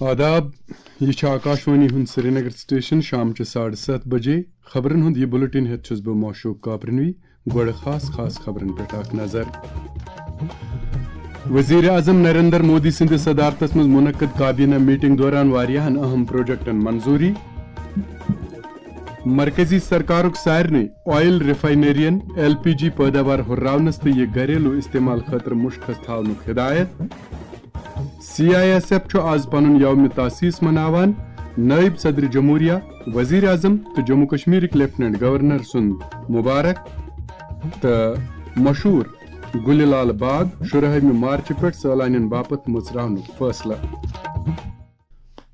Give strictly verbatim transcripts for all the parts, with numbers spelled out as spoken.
آداب، یہِ چھُ آکاشوانی ہُنٛد سرینگر سٹیشن۔ شام چہِ ساڑٕ ستھ بجے خبرن ہُنٛد یہِ بُلٹن ہٮ۪تھ چھُس بہٕ معشوق کاپرنوی۔ گۄڈٕ خاص خاص خبرن پٮ۪ٹھ اکھ نظر۔ وزیر اعظم نریندر مودی سٕنٛدِ صدارتس منٛز منعقد کابینہ میٹنگ دوران واریاہن اہم پروجیکٹن منظوری۔ مرکزی سرکارُک سارنٕے آئل ریفائنرین ایل پی جی پٲداوار ہُرراونس تہٕ یہِ گھریلو استعمال خٲطرٕ مُشخص تھاونُک ہدایت۔ سی آئی ایس ایف چھُ آز پنُن یوم تاسیس مناوان۔ نائب صدر جمہوریہ، وزیر اعظم تہٕ جموں کشمیرٕکۍ لیفٹیننٹ گورنر سُنٛد مبارک تہٕ مشہوٗر گُلہِ لال باغ شُراہمہِ مارچہِ پٮ۪ٹھ سٲلانٮ۪ن باپتھ مُژراونُک فٲصلہٕ۔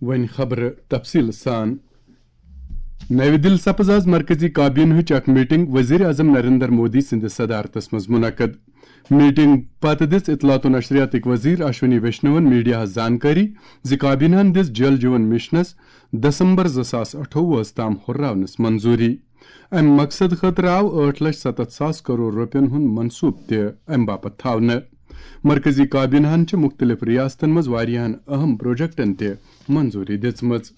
وۄنۍ خبرٕ تفصیٖل سان۔ نَوِ دِلہِ سپٕز آز مرکزی کابینہٕچ اکھ میٹنگ وزیر اعظم نریندر مودی سٕنٛدِ صدارتس منٛز منعقد۔ میٹنگ پتہٕ دِژ اطلاعات و نشریاتٕکۍ وزیر اشونی ویشنون میڈیاہس زانکٲری زِ کابینہن دِژ جل جیون مشنس دسمبر زٕ ساس اَٹھووُہس تام ہُرراونس منظوری۔ امہِ مقصد خٲطرٕ آو ٲٹھ لچھ ستتھ ساس کرور رۄپین ہُنٛد منصوبہٕ تہِ امہِ باپتھ تھاونہٕ۔ مرکزی کابینہن چھِ مُختٔلِف ریاستن منٛز واریاہن اہم پروجیکٹن تہِ منظوری دِژمٕژ۔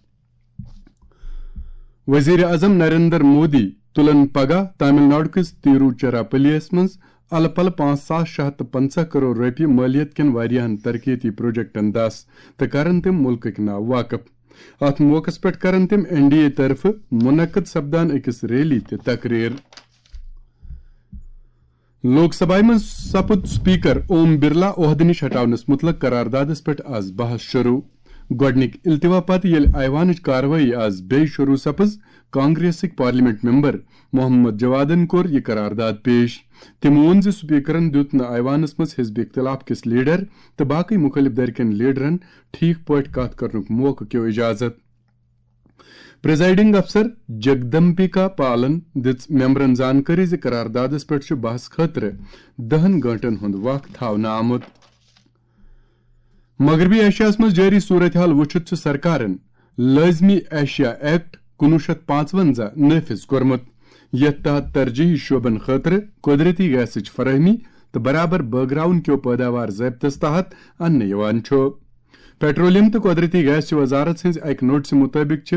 وزیر اعظم نریندر مودی تُلن پگاہ تامل ناڈو کِس تیروچیراپلیَس منٛز الہٕ پلہٕ پانٛژھ ساس شےٚ ہَتھ تہٕ پنٛژاہ کرور رۄپیہِ مٲلیت کٮ۪ن واریاہن ترقیتی پروجیکٹن دَس تہٕ کرن تِم مُلکٕکۍ ناو واقف۔ اتھ موقعس پٮ۪ٹھ کرن تِم این ڈی اے طرفہٕ منعقد سپدان أکِس ریلی تہِ تقریر۔ لوک سبھایہ منٛز سپُد سپیکر اوم برلا عہدٕ نِش ہٹاونس مُتعلق قراردادس پٮ۪ٹھ آز بحث شروع۔ گۄڈٕنِکۍ التوا پتہٕ ییٚلہِ ایوانٕچ کاروٲیی آز بیٚیہِ شروع سپٕز، کانگریسٕکۍ پارلیمنٹ ممبر محمد جوادن کوٚر یہِ قرارداد پیش۔ تٔمۍ ووٚن زِ سپیکرن دیُت نہٕ ایوانس منٛز حزب اختلاف کِس لیڈر تہٕ باقٕے مُخٲلف دھرِ کٮ۪ن لیڈرن ٹھیک پٲٹھۍ کتھ کرنُک موقعہٕ کیو اجازت۔ پریزائیڈنگ افسر جگدمبکا پالن دِژ ممبرن زانکٲری زِ قراردادس پٮ۪ٹھ چھُ بحث خٲطرٕ دَہن گٲنٹن ہُنٛد وق تھاونہٕ آمُت۔ مغربی ایشیاہس منٛز جٲری صورتحال وُچھِتھ چھُ سرکارن لٲزمی ایشیا ایکٹ کُنوُہ شیٚتھ پانٛژوَنزاہ نافذ کوٚرمُت، یتھ تحت ترجیحی شعبن خٲطرٕ قدرتی گیسٕچ فراہمی تہٕ برابر بٲگراوُن کیو پٲداوار ضٲبطس تحت اننہٕ یِوان چھُ۔ پیٹرولیم تہٕ قدرتی گیس چہِ وزارت سٕنٛزِ اکہِ نوٹسہِ مُطٲبِق چھِ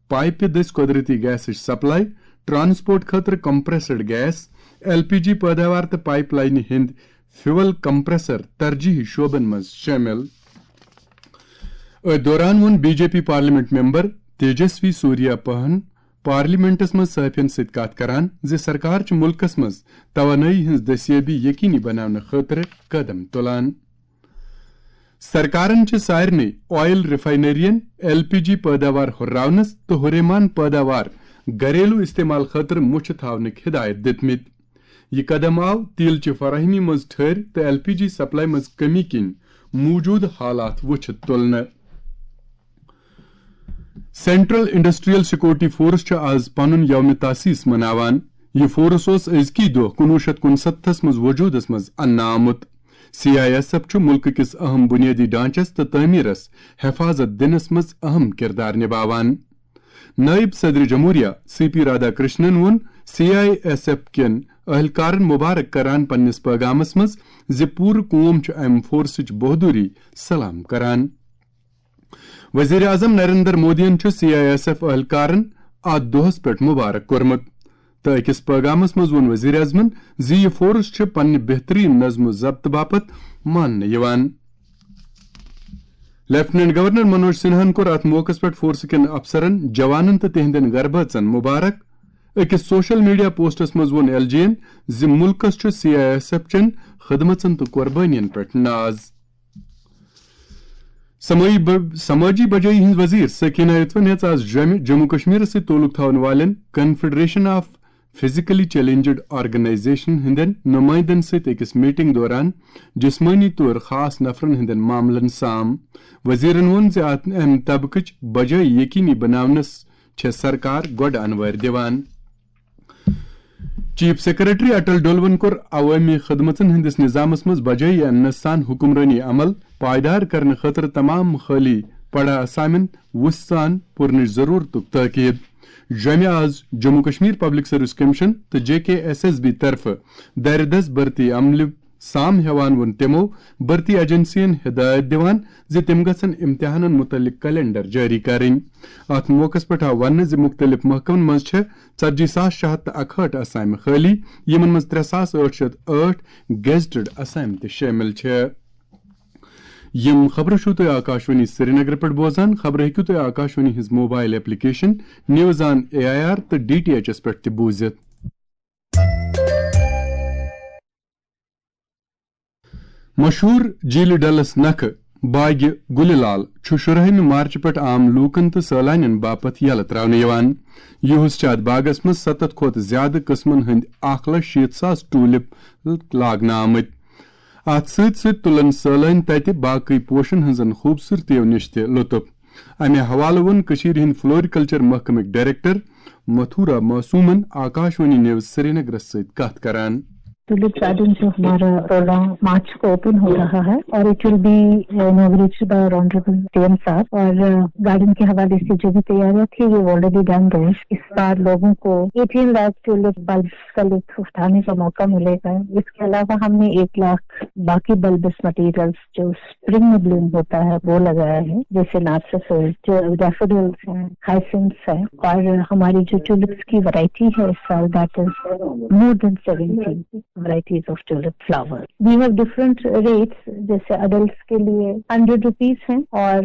پایپہِ دٔسۍ قدرتی گیسٕچ سپلائی، ٹرانسپورٹ خٲطرٕ کمپریسڈ گیس، ایل پی جی پٲداوار تہٕ پائپ لائنہِ ہٕنٛدۍ فیول کمپریسر ترجیحی شعبن منٛز شٲمِل۔ أتھۍ دوران ووٚن B J P parliament member Tejasvi Surya پہن پارلیمنٹس منٛز صحافین سۭتۍ کتھ کران زِ سرکار چھِ مُلکس منٛز توانٲیی ہٕنٛز دستیٲبی یقینی بناونہٕ خٲطرٕ قدم تُلان۔ سرکارن چھِ سارنٕے آئل ریفائنرین ایل پی جی پٲداوار ہُرراونس تہٕ ہُریمان پٲداوار گھریلو استعمال خٲطرٕ مُچھِ تھاونٕکۍ ہدایت دِتمٕتۍ۔ یہِ قدم آو تیل چہِ فراہمی منٛز ٹھٔہر تہٕ ایل پی جی سپلائی منٛز کمی کِنۍ موجودٕ حالات وُچھِتھ تُلنہٕ۔ سینٹرل انڈسٹریل سیکورٹی فورس چھُ آز پنُن یوم تاسیس مناوان۔ یہِ فورس اوس أزکی دۄہ کُنوُہ شیٚتھ کُنسَتتھس منٛز وجوٗدس منٛز اننہٕ آمُت۔ سی آئی ایس ایف چھُ مُلکہٕ کِس اہم بُنیٲدی ڈھانچس تہٕ تعمیرس حفاظت دِنس منٛز اہم کردار نباوان۔ نائب صدر جمہوریہ سی پی رادھا کرشنن ووٚن سی آئی ایس ایف کٮ۪ن اہلکارن مبارک کران پننِس پیغامس منٛز زِ پوٗرٕ قوم چھُ امہِ فورسٕچ بہادری سلام کران۔ وزیر اعظم نریندر مودیَن چھُ سی آئی ایس ایف اہلکارن اتھ دۄہس پٮ۪ٹھ مبارک کوٚرمُت تہٕ أکِس پیغامس منٛز ووٚن وزیر اعظمن زِ یہِ فورس چھُ پننہِ بہترین نظم و ضبط باپتھ ماننہٕ یِوان۔ لیفٹیننٹ گورنر منوج سنہاہن کوٚر اتھ موقعس پٮ۪ٹھ فورس کٮ۪ن افسرن، جوانن تہٕ تِہنٛدٮ۪ن گربٲژن مبارک۔ أکِس سوشل میڈیا پوسٹس منٛز ووٚن ایل جی یَن زِ مُلکس چھُ سی آئی ایس ایف چٮ۪ن خدمژن تہٕ قربٲنین پٮ۪ٹھ ناز۔ سمٲجی ب-، سمٲجی بجٲیی ہٕنٛز وزیر سکینہ یتوَن ہیٚژ آز جوٚمہِ جموں کشمیرس سۭتۍ تعلق تھاون والٮ۪ن confederation of physically challenged organization ہٕنٛدٮ۪ن نُمٲیندن سۭتۍ أکِس میٹنگ دوران جسمٲنی طور خاص نفرن ہٕنٛدٮ۪ن معاملن سام۔ وزیرن ووٚن زِ اتھ، امہِ طبقٕچ بجٲیی یقینی بناونس چھےٚ سرکار گۄڈٕ انوٲرۍ دِوان۔ چیف سیکرٹری اٹل ڈولون کوٚر عوٲمی خدمژن ہٕنٛدِس نظامس منٛز بجٲیی اننس سان حکمرٲنی عمل پائیدار کرنہٕ خٲطرٕ تمام خٲلی پڑا اسامن وُژھ سان پُرنٕچ ضرورتُک تاکید۔ جوٚمہِ آز Jammu Kashmir public service commission تہٕ جے کے ایس ایس بی طرفہٕ دردس بھرتی عملہِ سام ہیوان ووٚن تِمو بھرتی ایجنسین ہدایت دِوان زِ تِم گژھن امتحانن متعلق کیلنڈر جٲری کرٕنۍ۔ اتھ موقعس پٮ۪ٹھ آو وننہٕ زِ مُختٔلِف محکمن منٛز چھےٚ ژتجی ساس شےٚ ہتھ تہٕ اکہٲٹھ اسامہِ خٲلی، یِمن منٛز ترٛےٚ ساس ٲٹھ شیٚتھ ٲٹھ گیزٹڈ اسامہِ تہِ شٲمِل چھےٚ۔ یِم خبرٕ چھِو تُہۍ آکاشوانی سرینگرٕ پٮ۪ٹھ بوزان۔ خبرٕ ہیٚکِو تُہۍ آکاشوانی ہٕنٛز mobile application news on A I R تہٕ ڈی ٹی ایچ ایس پٮ۪ٹھ تہِ بوٗزِتھ۔ مشہوٗر جھیٖلہِ ڈلس نکھٕ باغِ گُلہِ لال چھُ شُراہمہِ مارچہِ پٮ۪ٹھ عام لوٗکن تہٕ سٲلانٮ۪ن باپتھ یلہٕ ترٛاونہٕ یِوان۔ یُہُس چھِ اَتھ باغس منٛز ستتھ کھۄتہٕ زیادٕ قٕسمن ہٕنٛدۍ اکھ لچھ شیٖتھ ساس ٹوٗلِپ لاگنہٕ آمٕتۍ۔ اَتھ سۭتۍ سۭتۍ تُلن سٲلٲنۍ تَتہِ باقٕے پوشن ہٕنٛزن خوٗبصوٗرتیو نِش تہِ لُطُف۔ اَمہِ حوالہٕ ووٚن کٔشیٖرِ ہٕنٛدۍ فلوریکلچر محکمٕکۍ ڈائریکٹر متھورا معصومن آکاشوانی نیوز سرینگرس سۭتۍ کتھ کران۔ ٹولپ گارڈن جو ہمارا سولہ مارچ کو اوپن ہو رہا ہے اور it will be inaugurated by honorable C M صاحب اور گارڈن کے حوالے سے جو بھی تیاریاں تھی, we have already done those. اس بار لوگوں کو ایٹین لاکھ ٹولپ بلبس کا لطف اٹھانے کا موقع ملے گا. اس کے علاوہ ہم نے ایک لاکھ باقی بلبس مٹیریلز جو اسپرنگ میں بلوم ہوتا ہے وہ لگایا ہے, جیسے نارسسز, جو ڈیفوڈلز ہیں, ہائسنس ہیں, اور ہماری جو ٹولپس کی ورائٹی ہے اس سال, that is more than seventy varieties of tulip flower. We have different rates, جیسے اڈلٹس کے لیے ہنڈریڈ روپیز ہیں اور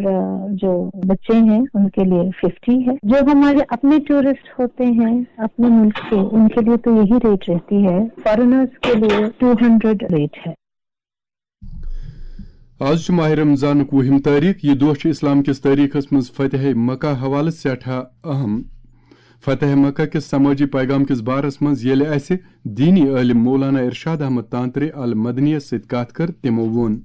جو بچے ہیں ان کے لیے ففٹی ہے. جو ہمارے اپنے ٹورسٹ ہوتے ہیں اپنے ملک کے, ان کے لیے تو یہی ریٹ رہتی ہے. فارنرز کے لیے ٹو ہنڈریڈ ریٹ ہے. آز چھُ ماہِ رمضانُک وُہِم تٲریٖخ۔ یہِ دۄہ چھُ اسلام کِس تٲریٖخس منٛز فتح مکہ حوالہٕ سٮ۪ٹھاہ اہم۔ فتح مکہ کِس سمٲجی پیغام کِس بارس منٛز ییٚلہِ اسہِ دینی عٲلم مولانا ارشاد احمد تانترے المدنیس سۭتۍ کتھ کٔر، تِمو ووٚن۔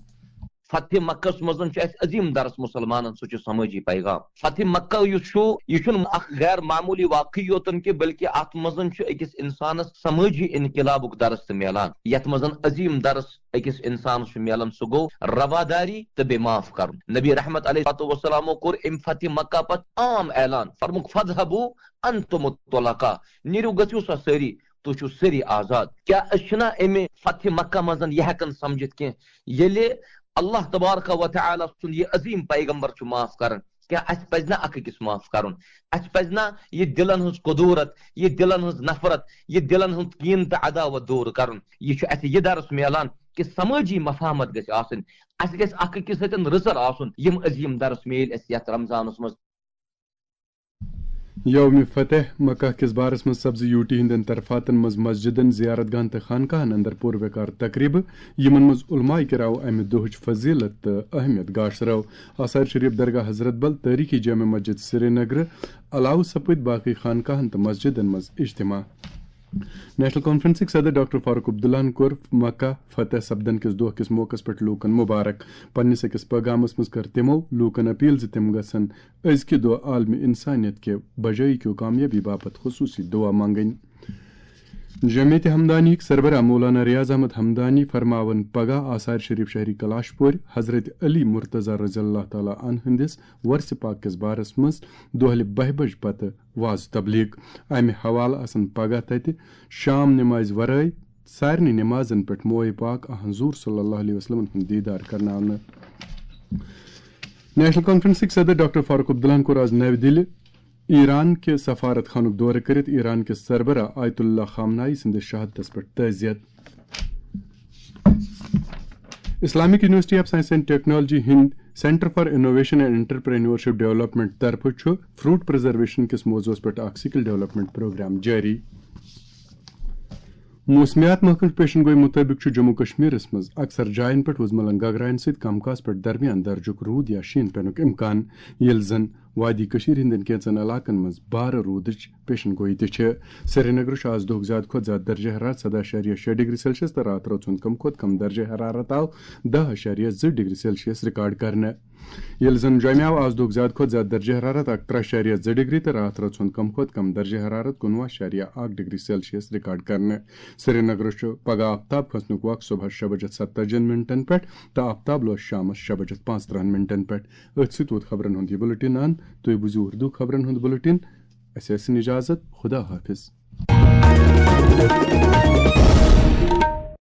فتح مکس منٛز چھُ اسہِ عظیم درس مسلمانن، سُہ چھُ سمٲجی پیغام۔ فتح مکہ یُس چھُ، یہِ چھُنہٕ اکھ غیر معمولی واقعہٕ یوتن کہِ، بلکہِ اتھ منٛز چھُ أکِس انسانس سمٲجی انقلابُک درس تہِ میلان، یتھ منٛز عظیم درس أکِس انسانس چھُ میلان، سُہ گوٚو رواداری تہٕ بیٚیہِ معاف کرُن۔ نبی رحمت علیہ الصلوۃ والسلامو کوٚر امہِ فتح مکہ پتہٕ عام اعلان، فرمووُکھ، "فاذهبوا انتم الطلقاء"، نیٖرِو، گٔژھِو سا سٲری، تُہۍ چھِو سٲری آزاد۔ کیٛاہ أسۍ چھِنا امہِ فتح مکہ منٛز یہِ ہٮ۪کان سمجھِتھ کینٛہہ، ییٚلہِ اللہ تبارک و تعالیٰ سُنٛد یہِ عظیم پیغمبر چھُ معاف کران؟ کیٛاہ اَسہِ پَزِ نہ اکھ أکِس معاف کرُن؟ اَسہِ پَزِ نہ یہِ دِلن ہٕنٛز کدورت، یہِ دِلن ہٕنٛز نفرت، یہِ دِلن ہُنٛد کیٖن تہٕ عداوت دوٗر کرُن؟ یہِ چھُ اَسہِ یہِ درس میلان کہِ سمٲجی مفاہمت گژھِ آسٕنۍ، اَسہِ گژھِ اکھ أکِس سۭتۍ رٕژر آسُن۔ یِم عظیٖم درس میلۍ اَسہِ یَتھ رمضانس منٛز۔ یوم فتح مکہ کِس بارس منٛز سپزٕ یوٗٹی ہٕنٛدٮ۪ن طرفاتن منٛز مسجدن، زیارت گاہن تہٕ خانقاہن اندر پُروقار تقریبہٕ، یِمن منٛز علماء کرام امہِ دۄہٕچ فضیلت تہٕ اہمیت گاشرٲو۔ آثار شریف درگاہ حضرت بل، تٲریخی جامع مسجد سرینگرٕ علاوٕ سپٕدۍ باقٕے خانقاہن تہٕ مسجدن منٛز اجتماع۔ نیشنل کانفرنسٕکۍ صدر ڈاکٹر فاروق عبداللہن کوٚر مکہ فتح سپدن کِس دۄہ کِس موقعس پٮ۪ٹھ لوٗکن مبارک۔ پننِس أکِس پیغامس منٛز کٔر تِمو لوٗکن اپیل زِ تِم گژھن أزکہِ دۄہ عالمِ انسانیت کہِ بجٲیی کیو کامیٲبی باپتھ خصوٗصی دُعا منٛگٕنۍ۔ جمعیت ہمدانیٕکۍ سربراہ مولانا ریاض احمد ہمدانی فرماون پگاہ آثار شریف شہری کلاش پورِ حضرت علی مرتضی رضی اللہ تعالیٰ عنہ ہٕنٛدِس ورثِ پاک کِس بارس منٛز دۄہلہِ بہہِ بجہِ پتہٕ وعظ تبلیغ۔ امہِ حوالہٕ آسن پگاہ تتہِ شام نمازِ ورٲے سارنٕے نمازن پٮ۪ٹھ موئے پاک آ حضور صلی اللہ علیہ وسلمن ہُنٛد دیدار کرناونہٕ۔ نیشنل کانفرنسٕکۍ صدر ڈاکٹر فاروق عبداللہن کوٚر آز نَوِ دِلہِ ایران کہِ سفارت خانُک دورٕ کٔرِتھ ایران کِس سربراہ آیت اللہ خامنائی سٕنٛدِس شہادتس پٮ۪ٹھ تعزیت۔ Islamic university of science and technology ہٕنٛدۍ centre for innovation and entrepreneurship development طرفہٕ چھُ فروٹ پرزرویشن کِس موضوعس پٮ۪ٹھ اکھ سکل ڈیولپمنٹ پروگرام جٲری۔ موسمیات محکمہٕ پیشن گوئی مُطٲبِق چھُ جموں کشمیرس منٛز اکثر جاین پٮ۪ٹھ وُزملن گگراین سۭتۍ کم کاس پٮ۪ٹھ درمیان درجُک روٗد یا شیٖن پینُک امکان، ییٚلہِ زن وادی کٔشیٖر ہٕنٛدٮ۪ن کینٛژن علاقن منٛز بارٕ روٗدٕچ پیشن گوئی تہِ چھِ۔ سرینگرٕ چھُ آز دۄہُک زیادٕ کھۄتہٕ زیادٕ درجہ حرارت سداہ اَشاریہ شےٚ ڈگری سیلسیس تہٕ راتھ رٲژ ہُنٛد کم کھۄتہٕ کم درجہ حرارت آو دَہ اَشاریہ زٕ ڈگری سیلسیس ریکارڈ کرنہٕ۔ ییٚلہِ زن جوٚمہِ آو آز دۄہُک زیادٕ کھۄتہٕ زیادٕ درجہ حرارت اَکترٕہ اَشاریہ زٕ ڈگری تہٕ راتھ رٲژ ہُنٛد کم کھۄتہٕ کم درجہ حرارت کُنوُہ اَشاریہ اَکھ ڈگری سیلسیس ریکارڈ کرنہٕ۔ سرینگرٕ چھُ پگاہ آفتاب کھسنُک وق صبحس شےٚ بجہِ ستتٲجی منٹن پٮ۪ٹھ تہٕ آفتاب لوس شامس شےٚ بجہِ پانٛژترٕہن منٹن پٮ۪ٹھ۔ أتھۍ سۭتۍ ووت خبرن ہُنٛد یہِ بُلٹن اند۔ تُہۍ بوٗزِو اردو خبرن ہُنٛد بُلٹن۔ اسہِ ٲسِن اجازت۔ خدا حافظ۔